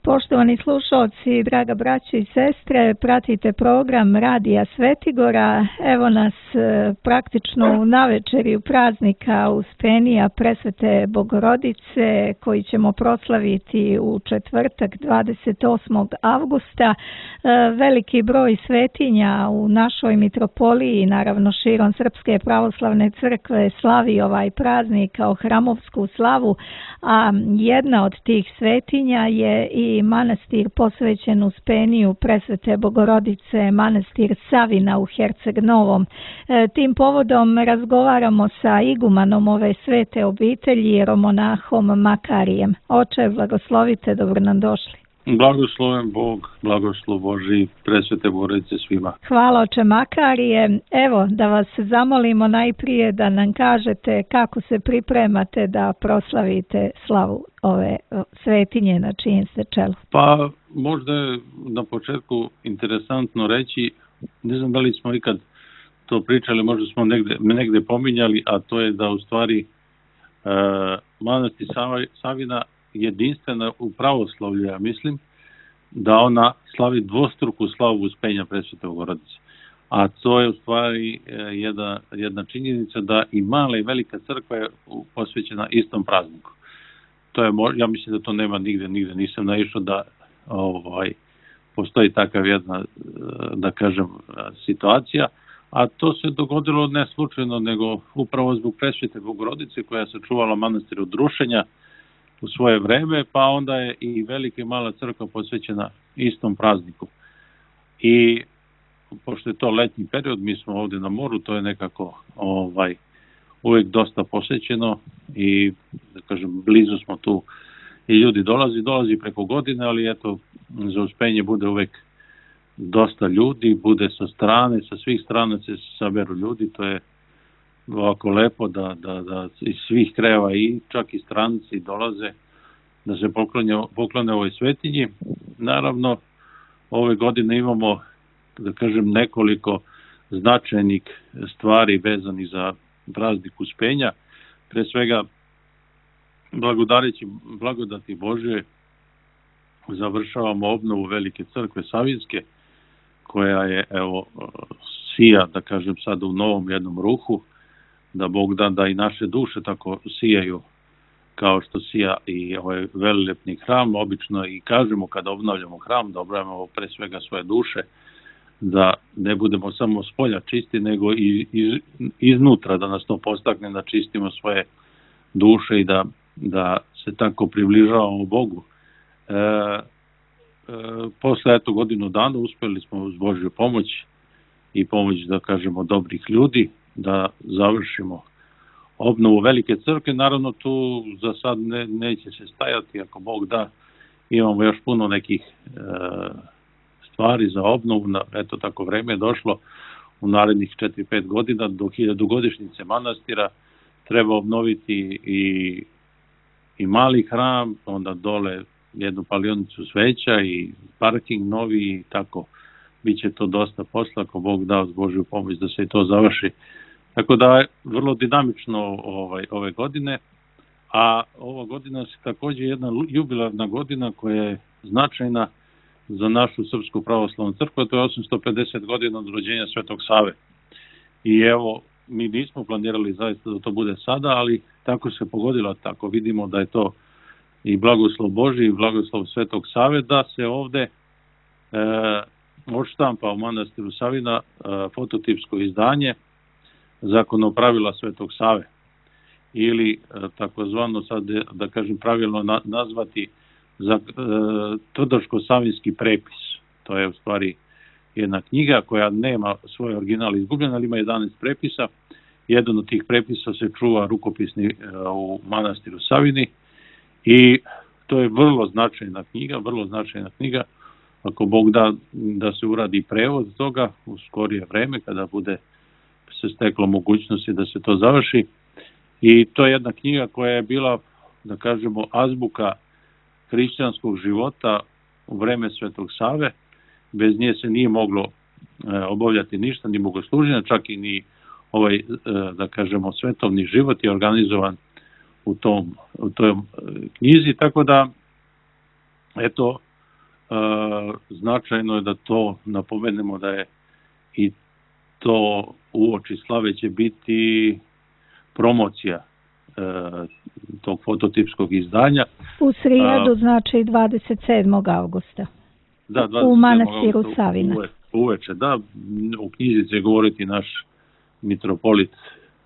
Poštovani slušalci, draga braćo i sestre, pratite program Radija Svetigora. Evo nas praktično u navečerju praznika Uspenija Presvete Bogorodice koji ćemo proslaviti u četvrtak 28. avgusta. Veliki broj svetinja u našoj mitropoliji, naravno širom Srpske pravoslavne crkve, slavi ovaj praznik kao hramovsku slavu, a jedna od tih svetinja je i manastir posvećen Uspeniju Presvete Bogorodice, manastir Savina u Herceg Novom. Tim povodom razgovaramo sa igumanom ove svete obitelji, jeromonahom Makarijem. Oče, blagoslovite, dobro nam došli. Blagosloven Bog, blagoslov Božji, Presvete Bogorodice svima. Hvala, oče Makarije. Evo, da vas zamolimo najprije da nam kažete kako se pripremate da proslavite slavu ove svetinje na čijem ste čelu. Pa, možda je na početku interesantno reći, ne znam da li smo ikad to pričali, možda smo negde pominjali, a to je da u stvari manastir Savina jedinstvena u pravoslavlju, ja mislim, da ona slavi dvostruku slavu Uspenja Presvete Bogorodice. A to je u stvari jedna činjenica da i mala i velika crkva je posvećena istom prazniku. To je, ja mislim da to nema nigde nisam naišao da postoji takav jedna, da kažem, situacija, a to se dogodilo ne slučajno, nego upravo zbog Presvete Bogorodice koja se čuvala manastir od rušenja u svoje vreme, pa onda je i velika i mala crkva posvećena istom prazniku. I pošto je to letnji period, mi smo ovdje na moru, to je nekako uvijek dosta posvećeno i, da kažem, blizu smo tu i ljudi dolazi preko godine, ali eto, za Uspenje bude uvijek dosta ljudi, bude sa strane, sa svih strana se saberu ljudi, to je ovako lepo da iz svih krajeva i čak i stranci dolaze da se poklone ovoj svetinji. Naravno, ove godine imamo, da kažem, nekoliko značajnih stvari vezanih za praznik Uspenja. Pre svega, blagodareći blagodati Božje, završavamo obnovu Velike crkve Savinske, koja je, evo, sija, da kažem, sad u novom jednom ruhu, da Bog da i naše duše tako sijaju kao što sija i ovaj velilepni hram. Obično i kažemo kada obnavljamo hram da obnavljamo pre svega svoje duše, da ne budemo samo s polja čisti, nego i iznutra, da nas to postakne da čistimo svoje duše i da se tako približavamo Bogu. Posle godinu dana uspeli smo uz Božju pomoć i pomoć, da kažemo, dobrih ljudi da završimo obnovu Velike crkve. Naravno, tu za sad neće se stajati, ako Bog da, imamo još puno nekih stvari za obnovu. Eto, tako vreme je došlo u narednih 4-5 godina do 1000-godišnjice manastira. Treba obnoviti i mali hram, onda dole jednu palionicu sveća i parking novi i tako. Biće to dosta posla, ako Bog da uz Božju pomoć da se i to završi. Tako da je vrlo dinamično ove godine, a ova godina se također jedna jubilarna godina koja je značajna za našu Srpsku pravoslavnu crkvu, to je 850 godina od rođenja Svetog Save. I evo, mi nismo planirali zaista da to bude sada, ali tako se pogodilo, tako vidimo da je to i blagoslov Božji i blagoslov Svetog Save, da se ovde odštampa u manastiru Savina fototipsko izdanje zakonopravila Svetog Save, ili takozvano, sad da kažem pravilno nazvati, Tvrdoško-savinski prepis. To je u stvari jedna knjiga koja nema svoj original izgubljen, ali ima 11 prepisa. Jedan od tih prepisa se čuva rukopisni u manastiru Savini i to je vrlo značajna knjiga. Ako Bog da se uradi prevod toga u skorije vreme, kada bude se steklo mogućnosti da se to završi. I to je jedna knjiga koja je bila, da kažemo, azbuka hrišćanskog života u vreme Svetog Save. Bez nje se nije moglo obavljati ništa, ni bogosluženja, čak i ni da kažemo, svetovni život je organizovan u toj knjizi. Tako da, eto, značajno je da to napomenemo da je i to uoči slave će biti promocija tog fototipskog izdanja. U srijedu, znači 27. augusta. Da, 27. u manastiru Savina. Uveče, da. U knjizi će govoriti naš mitropolit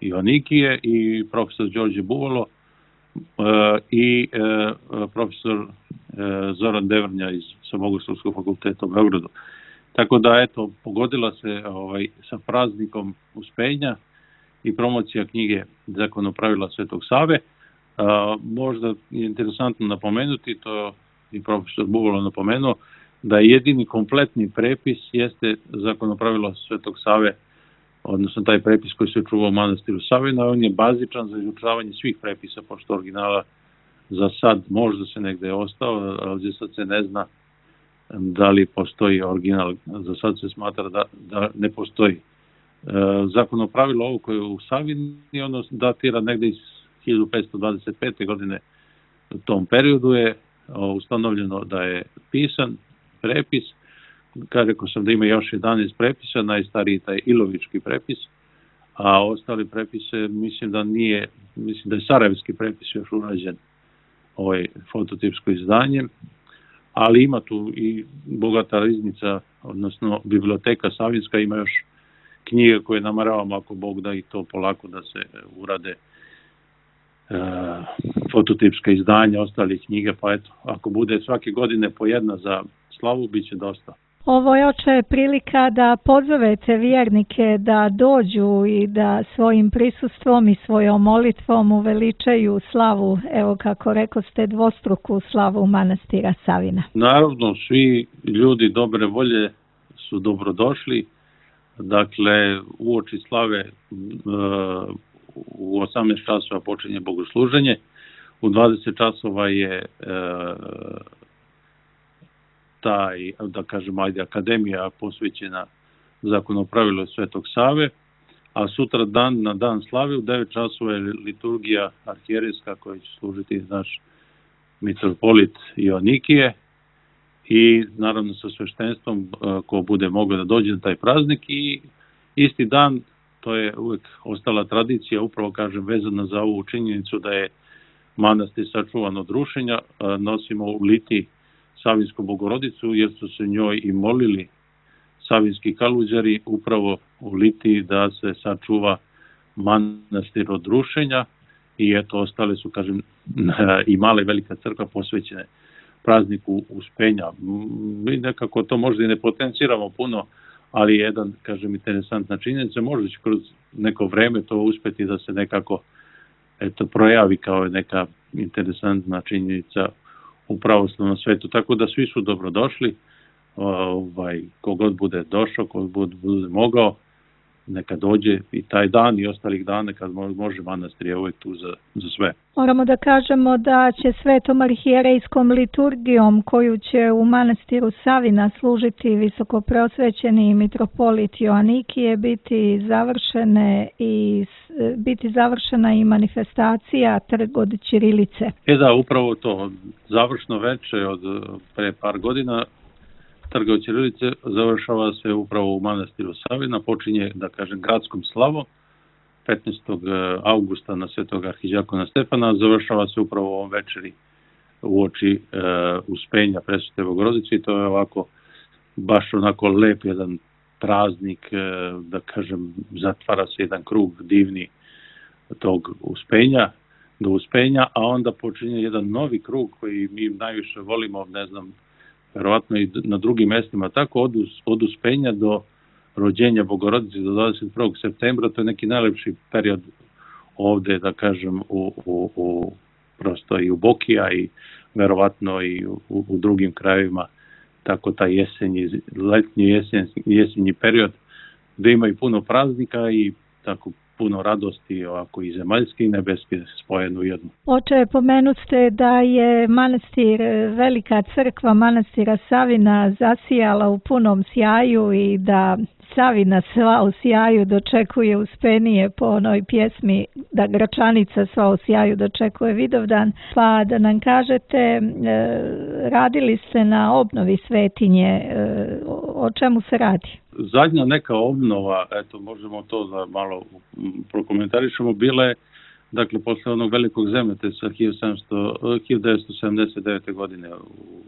Joanikije i profesor Đorđe Buvalo i profesor Zoran Devrnja sa Bogoslovskog fakulteta u Beogradu. Tako da, eto, pogodila se sa praznikom Uspenja i promocija knjige Zakonopravila Svetog Save. Možda je interesantno napomenuti, to i profesor Buvalo napomenuo, da jedini kompletni prepis jeste Zakonopravila Svetog Save, odnosno taj prepis koji se čuva u manastiru Savina. On je bazičan za izučavanje svih prepisa, pošto originala za sad možda se negde je ostao, ali za sad se ne zna da li postoji original. Za sad se smatra da ne postoji. Zakonopravilo ovo koje je u Savini, ono datira negde iz 1525. godine. U tom periodu je ustanovljeno da je pisan prepis. Rekao sam da ima još 11 prepisa, najstariji taj Ilovički prepis, a ostali prepise mislim da je Sarajevski prepis još urađen fototipsko izdanje, ali ima tu i bogata riznica, odnosno biblioteka Savinska, ima još knjige koje nameravamo, ako Bog da, i to polako da se urade fototipska izdanja ostalih knjiga, pa eto, ako bude svake godine po jedna za slavu, bit će dosta. Ovo je oče prilika da pozovete vjernike da dođu i da svojim prisustvom i svojom molitvom uveličaju slavu, evo kako rekao ste, dvostruku slavu manastira Savina. Naravno, svi ljudi dobre volje su dobrodošli. Dakle, uoči slave u 18 časova počinje bogosluženje, u 20 časova je taj, da kažem, akademija posvećena Zakonopravilu Svetog Save, a sutra na dan slave u 9 časova je liturgija arhijerejska koja će služiti naš mitropolit Joanikije i naravno sa sveštenstvom ko bude mogao da dođe na taj praznik. I isti dan, to je uvek ostala tradicija, upravo kažem vezana za ovu činjenicu da je manastir sačuvan od rušenja, nosimo u liti Savinsku Bogorodicu, jer su se njoj i molili savinski kaluđari upravo u liti da se sačuva manastir od rušenja. I eto, ostale su, kažem, i mala i velika crkva posvećene prazniku Uspenja. Mi nekako to možda i ne potenciramo puno, ali jedan, kažem, interesantna činjenica, možda će kroz neko vreme to uspeti da se nekako projavi kao neka interesantna činjenica u pravoslavnom svetu. Tako da svi su dobrodošli, kogod bude došao, kogod bude mogao, neka dođe i taj dan i ostalih dana kad može, manastir je uvek tu za sve. Moramo da kažemo da će svetom arhijerejskom liturgijom koju će u manastiru Savina služiti visokopreosvećeni mitropolit Joanikije biti završena i manifestacija Trg od ćirilice. Da, upravo to, završno veče od pre par godina Trg od ćirilice završava se upravo u manastiru Savina, počinje, da kažem, gradskom slavom 15. augusta na Svetog arhiđakona Stefana, završava se upravo ovom večeri uoči Uspenja Presvete Bogorodice i to je ovako baš onako lep jedan praznik, da kažem, zatvara se jedan krug divni tog Uspenja, do Uspenja, a onda počinje jedan novi krug koji mi najviše volimo, ne znam, verovatno i na drugim mestima, tako od Uspenja do rođenja Bogorodice do 21. septembra, to je neki najlepši period ovde, da kažem, prosto i u Bokija i verovatno i u drugim krajevima, tako taj letnji jesenji period, gde ima i puno praznika i tako puno radosti, ovako i zemaljske i nebeske spojene u jednu. Oče, pomenuste da je manastir, velika crkva manastira Savina zasijala u punom sjaju i da Savina sva u sjaju dočekuje Uspenije po onoj pjesmi da Gračanica sva u sjaju dočekuje Vidovdan, pa da nam kažete, radili ste na obnovi svetinje, o čemu se radi? Zadnja neka obnova, eto možemo to da malo prokomentarišemo, bila je, dakle, posle onog velikog zemljotresa 1979. godine u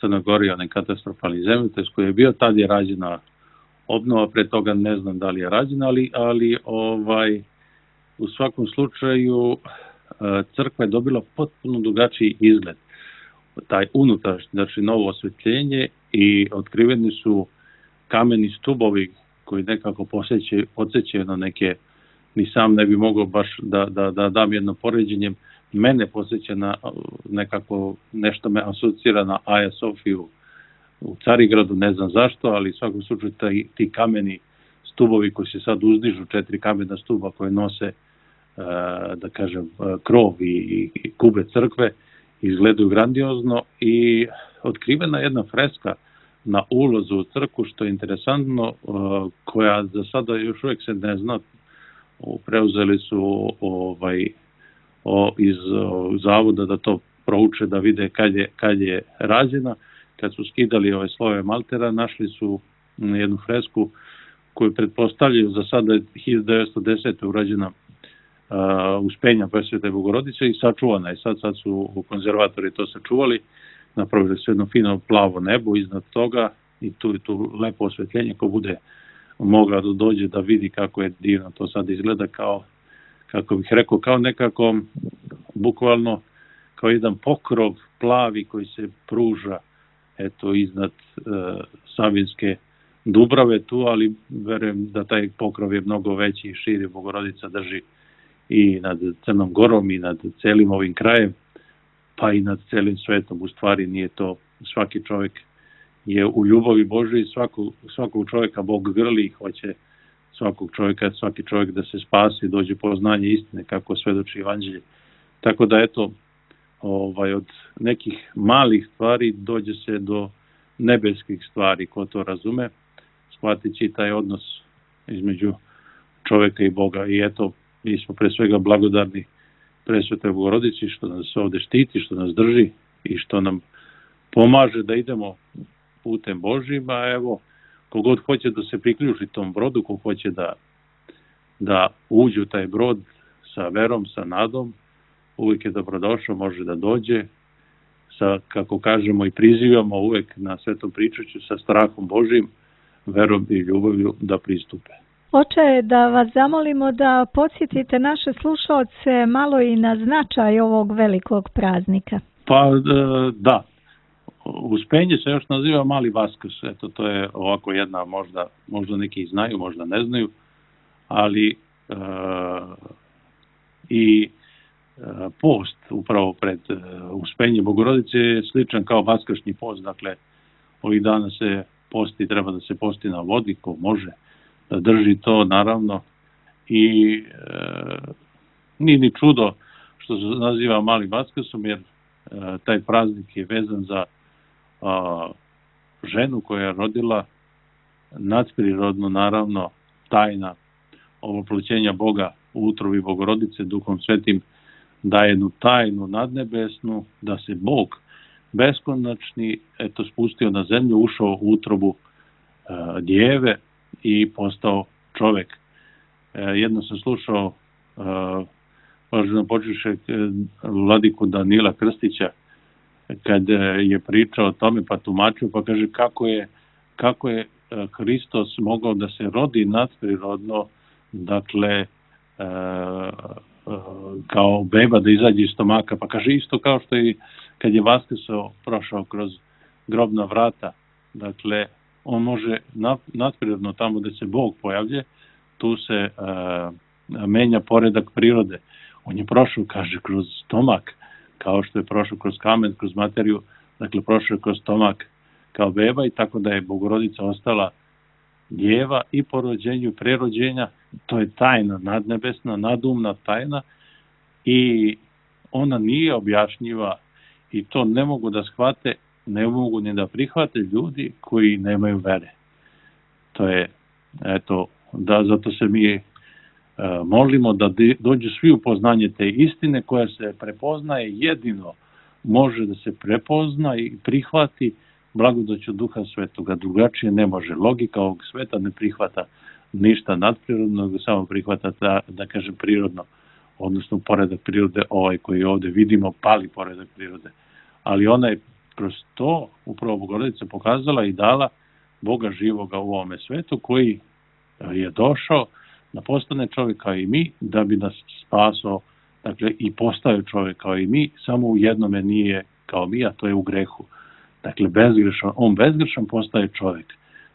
Crnoj Gori, onaj katastrofalni zemljotres koji je bio, tad je rađena obnova, pre toga ne znam da li je rađena, ali u svakom slučaju crkva je dobila potpuno drugačiji izgled. Taj unutrašnji, znači novo osvetljenje, i otkriveni su kameni stubovi koji nekako podsjećaju na neke, ni sam ne bi mogao baš da dam jedno poređenje, mene podsjeća na nekako, nešto me asocira na Aja Sofiju u Carigradu, ne znam zašto, ali u svakom slučaju ti kameni stubovi koji se sad uzdižu, 4 kamena stuba koje nose, da kažem, krov i kube crkve, izgledaju grandiozno, i otkrivena jedna freska na ulazu u crkvu, što je interesantno, koja za sada još uvijek se ne zna. Preuzeli su iz zavoda da to prouče, da vide kad je rađena. Kad su skidali ove slojeve maltera, našli su jednu fresku koju pretpostavljaju, za sada je 1910. urađena, Uspenja Presvete Bogorodice, i sačuvana je. Sad su konzervatori to sačuvali, napravili su jedno fino plavo nebo iznad toga, i tu lepo osvetljenje, ko bude mogao da dođe da vidi kako je divno to sad izgleda, kao, kako bih rekao, kao nekako, bukvalno kao jedan pokrov plavi koji se pruža, eto, iznad Savinske Dubrave tu, ali verujem da taj pokrov je mnogo veći i širi. Bogorodica drži i nad Crnom Gorom i nad celim ovim krajem, pa i nad celim svetom. U stvari nije to, svaki čovjek je u ljubavi Božoj, svakog čovjeka Bog grli i hoće svaki čovjek da se spasi, dođe poznanje istine, kako svedoči Evanđelje. Tako da, eto, od nekih malih stvari dođe se do nebeskih stvari, ko to razume, shvatići taj odnos između čovjeka i Boga. I eto, mi smo pre svega blagodarni Presvetoj Bogorodici što nas ovde štiti, što nas drži i što nam pomaže da idemo putem Božjim. A evo, kogod hoće da se priključi tom brodu, ko hoće da uđe u taj brod sa verom, sa nadom, uvijek je dobrodošao, može da dođe sa, kako kažemo i prizivamo uvijek na Svetom pričaću, sa strahom Božjim, verom i ljubavlju da pristupe. Oče, da vas zamolimo da podsjetite naše slušaoce malo i na značaj ovog velikog praznika. Pa da, Uspenje se još naziva Mali Vaskrs, eto, to je ovako jedna, možda neki znaju, možda ne znaju, ali post upravo pred Uspenje Bogorodice je sličan kao vaskršnji post, dakle ovih dana se posti, treba da se posti na vodi, ko može da drži to, naravno, i nije ni čudo što se naziva Mali Vaskrsom, jer taj praznik je vezan za ženu koja je rodila nadprirodno, naravno, tajna ovoploćenja Boga u utrobi Bogorodice, Duhom Svetim daje jednu tajnu nadnebesnu, da se Bog beskonačni, eto, spustio na zemlju, ušao u utrobu djeve i postao čovek. Jedno sam slušao možda počeše vladiku Danila Krstića, kad je pričao o tome, pa tumačio, pa kaže kako je Hristos mogao da se rodi nadprirodno, dakle kao beba da izađe iz stomaka, pa kaže isto kao što i kad je Vaskrsao, prošao kroz grobna vrata, dakle on može nadprirodno tamo gde se Bog pojavlje, tu se menja poredak prirode. On je prošao, kaže, kroz stomak, kao što je prošao kroz kamen, kroz materiju, dakle prošao kroz stomak kao beba, i tako da je Bogorodica ostala djeva i po rođenju i prerođenja. To je tajna nadnebesna, nadumna tajna, i ona nije objašnjiva, i to ne mogu da shvate, ne mogu ni da prihvate ljudi koji nemaju vere. To je eto, da zato se mi molimo da dođu svi u poznanje te istine koja se prepoznaje, jedino može da se prepozna i prihvati blagodaću Duha Svetoga, drugačije ne može. Logika ovog sveta ne prihvata ništa nadprirodno, nego samo prihvata da kažem prirodno, odnosno poredak prirode, ovaj koji ovde vidimo, pali poredak prirode. Ali ona je kroz to upravo Bogorodica pokazala i dala Boga živoga u ovome svetu, koji je došao da postane čovjek kao i mi, da bi nas spasao, dakle i postao čovjek kao i mi, samo u jednome nije kao mi, a to je u grehu. Dakle, bezgrešan, on bezgrešan postaje čovjek.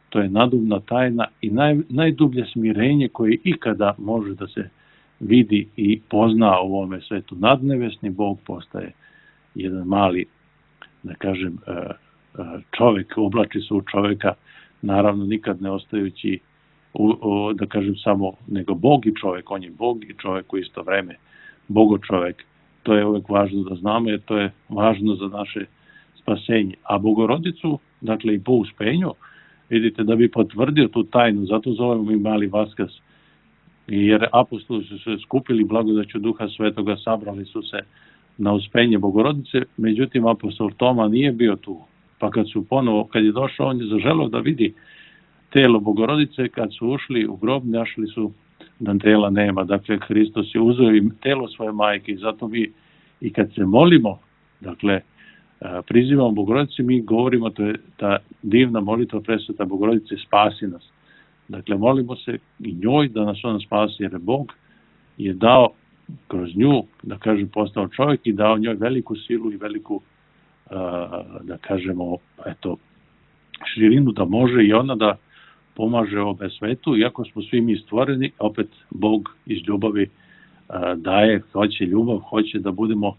To je nadubna tajna i najdublje smirenje koje ikada može da se vidi i pozna u ovome svetu. Nadnebesni Bog postaje jedan mali, da kažem, čovjek, oblači se u čovjeka, naravno nikad ne ostajući, da kažem, samo nego Bog i čovjek. On je Bog i čovjek u isto vreme. Bogo čovjek. To je uvek važno da znamo, jer to je važno za naše spasenje. A Bogorodicu, dakle i po uspenju, vidite, da bi potvrdio tu tajnu, zato zovemo i mali Vaskrs, jer apostoli su se skupili blagodaću Duha Svetoga, sabrali su se na uspenje Bogorodice, međutim apostol Toma nije bio tu, pa kad je došao, on je zaželeo da vidi telo Bogorodice, kad su ušli u grob, našli su da tela nema, dakle Hristos je uzeo i telo svoje majke i zato mi i kad se molimo, dakle prizivamo Bogorodice, mi govorimo, to je ta divna molitva Presveta Bogorodice, spasi nas. Dakle, molimo se i njoj da nas ona spasi, jer Bog je dao kroz nju, da kažem, postao čovjek i dao njoj veliku silu i veliku, da kažemo, eto, širinu da može i ona da pomaže ovome svetu, iako smo svi mi stvoreni, opet Bog iz ljubavi daje, hoće ljubav, hoće da budemo,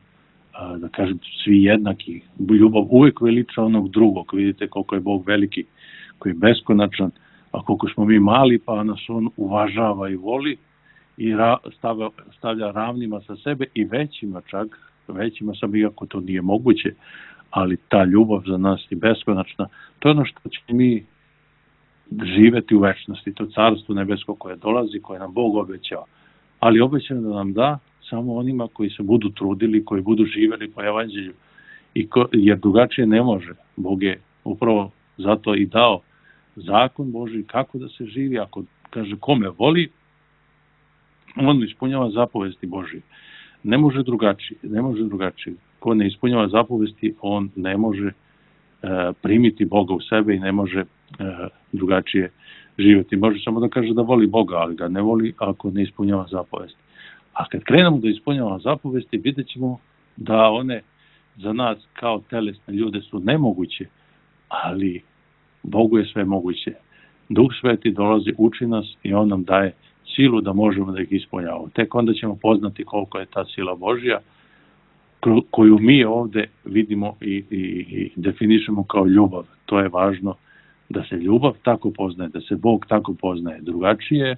da kažem, svi jednaki. Ljubav uvek veliča onog drugog, vidite koliko je Bog veliki, koji je beskonačan, a koliko smo mi mali, pa nas on uvažava i voli i stavlja ravnima sa sebe i većima čak, većima sam, iako to nije moguće, ali ta ljubav za nas je beskonačna. To je ono što će mi živeti u večnosti, to carstvo nebesko koje dolazi, koje nam Bog obećao. Ali obećao da nam da samo onima koji se budu trudili, koji budu živeli po evanđelju, jer drugačije ne može. Bog je upravo zato i dao zakon Božji kako da se živi. Ako kaže kome voli, on ispunjava zapovesti Božje. Ne može drugačije. Ko ne ispunjava zapovesti, on ne može primiti Boga u sebe i ne može drugačije živjeti. Može samo da kaže da voli Boga, ali ga ne voli ako ne ispunjava zapovesti. A kad krenemo da ispunjavamo zapovesti, vidjet ćemo da one za nas kao telesne ljude su nemoguće, ali Bogu je sve moguće. Duh Sveti dolazi, uči nas i on nam daje silu da možemo da ih ispunjavamo. Tek onda ćemo poznati koliko je ta sila Božja, koju mi ovde vidimo i definišemo kao ljubav. To je važno, da se ljubav tako poznaje, da se Bog tako poznaje. Drugačije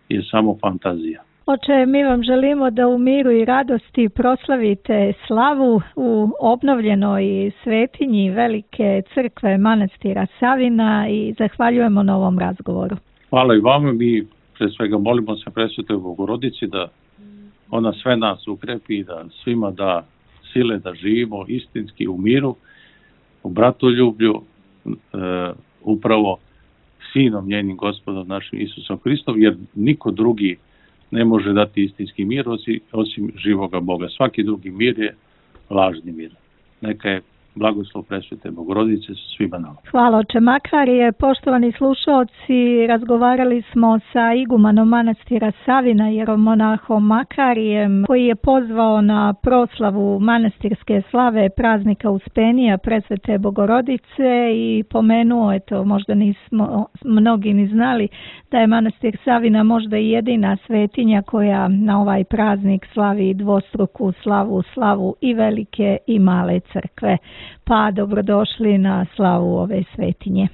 je samo fantazija. Oče, mi vam želimo da u miru i radosti proslavite slavu u obnovljenoj svetinji Velike crkve manastira Savina i zahvaljujemo na ovom razgovoru. Hvala i vama. Mi pre svega molimo se Presvetoj Bogorodici da ona sve nas ukrepi i da svima da sile da živimo istinski u miru, u bratoljublju, upravo Sinom njenim Gospodom našim Isusom Hristom, jer niko drugi ne može dati istinski mir osim živoga Boga. Svaki drugi mir je lažni mir. Neka je blagoslov Presvete Bogorodice sa svima nama. Hvala oče Makarije. Poštovani slušaoci, razgovarali smo sa igumanom manastira Savina, jeromonahom Makarijem, koji je pozvao na proslavu manastirske slave praznika Uspenija Presvete Bogorodice i pomenuo, eto, možda nismo mnogi ni znali, da je manastir Savina možda i jedina svetinja koja na ovaj praznik slavi dvostruku slavu i velike i male crkve. Pa dobrodošli na slavu ove svetinje.